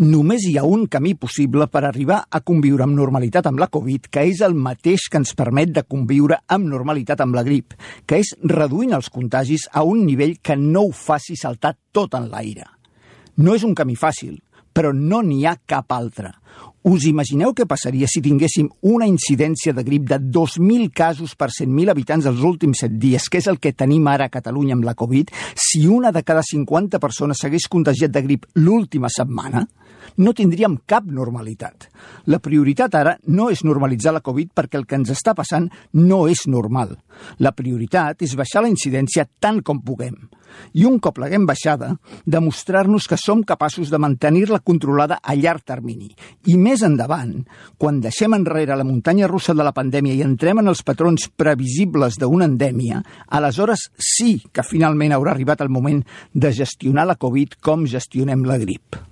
Només hi ha un camí possible per arribar a conviure amb normalitat amb la Covid, que és el mateix que ens permet de conviure amb normalitat amb la grip, que és reduint els contagis a un nivell que no ho faci saltar tot en l'aire. No és un camí fàcil, però no n'hi ha cap altre. Us imagineu què passaria si tinguéssim una incidència de grip de 2.000 casos per 100.000 habitants els últims 7 dies, que és el que tenim ara a Catalunya amb la Covid, si una de cada 50 persones s'hagués contagiat de grip l'última setmana? No tindríem cap normalitat. La prioritat ara no és normalitzar la Covid perquè el que ens està passant no és normal. La prioritat és baixar la incidència tant com puguem. I un cop l'haguem baixada, demostrar-nos que som capaços de mantenir-la controlada a llarg termini. I més endavant, quan deixem enrere la muntanya russa de la pandèmia i entrem en els patrons previsibles d'una endèmia, aleshores sí que finalment haurà arribat el moment de gestionar la Covid com gestionem la grip.